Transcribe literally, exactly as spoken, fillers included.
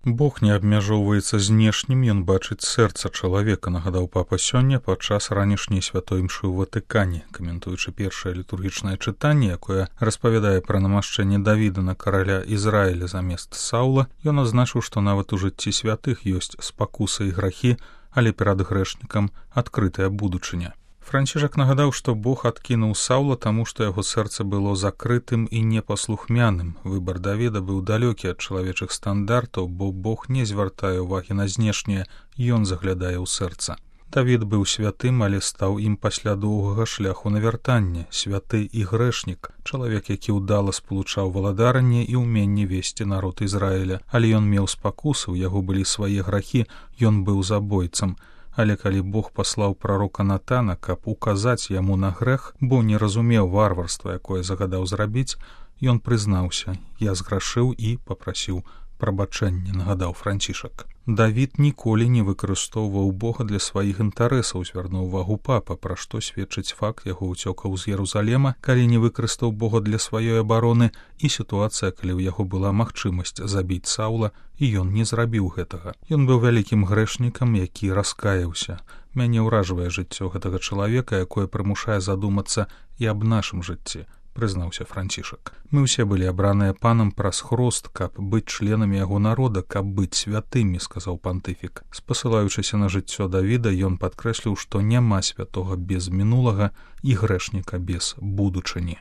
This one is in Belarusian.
Бог не абмяжоўваецца знешнім, ён бачыць сэрца чалавека, нагадаў папа сёння падчас ранішняй святой імшы ў Ватыкане, каментуючы першае літургічнае чытанне, якое распавядае пра намашчэнне Давіда на караля Ізраіля замест Саўла, ён адзначыў, што нават у жыцці святых ёсць спакусы і грахі, але перад грэшнікам адкрытая будучыня. Францішак нагадаў, што Бог адкінуў Саўла, таму што яго сэрца было закрытым і непаслухмяным. Выбар Давіда быў далёкі ад чалавечых стандартаў, бо Бог не звяртае ўвагі на знешняе, ён заглядае ў сэрца. Давід быў святым, але стаў ім пасля доўгага шляху на вяртанне, святы і грэшнік, чалавек, які ўдала спалучаў валадаранне і ўменне весці народ Ізраіля, але ён меў спакусы, у яго былі свае грахі, ён быў забойцам. Але калі Бог паслаў прарока Натана, каб указаць яму на грэх, бо не разумеў варварства, якое загадаў зрабіць, ён прызнаўся: «Я зграшыў і папрасіў прабачэння», нагадаў Францішак. Давід ніколі не выкарыстоўваў Бога для сваіх інтарэсаў, звярнуў увагу папа, пра што сведчыць факт яго ўцёкаў з Ерусалема, калі не выкарыстаў Бога для сваёй абароны, і сітуацыя, калі ў яго была магчымасць забіць Саўла, і ён не зрабіў гэтага. Ён быў вялікім грэшнікам, які раскаяўся. Мяне ўражвае жыццё гэтага чалавека, якое прымушае задумацца і аб нашым жыцці, прызнаўся Францішак. Мы ўсе былі абраныя панам праз хрост, каб быць членамі яго народа, каб быць святымі, сказаў пантыфік. Спасылаючыся на жыццё Давіда, ён падкрэсліў, што няма святога без мінулага і грэшніка без будучыні.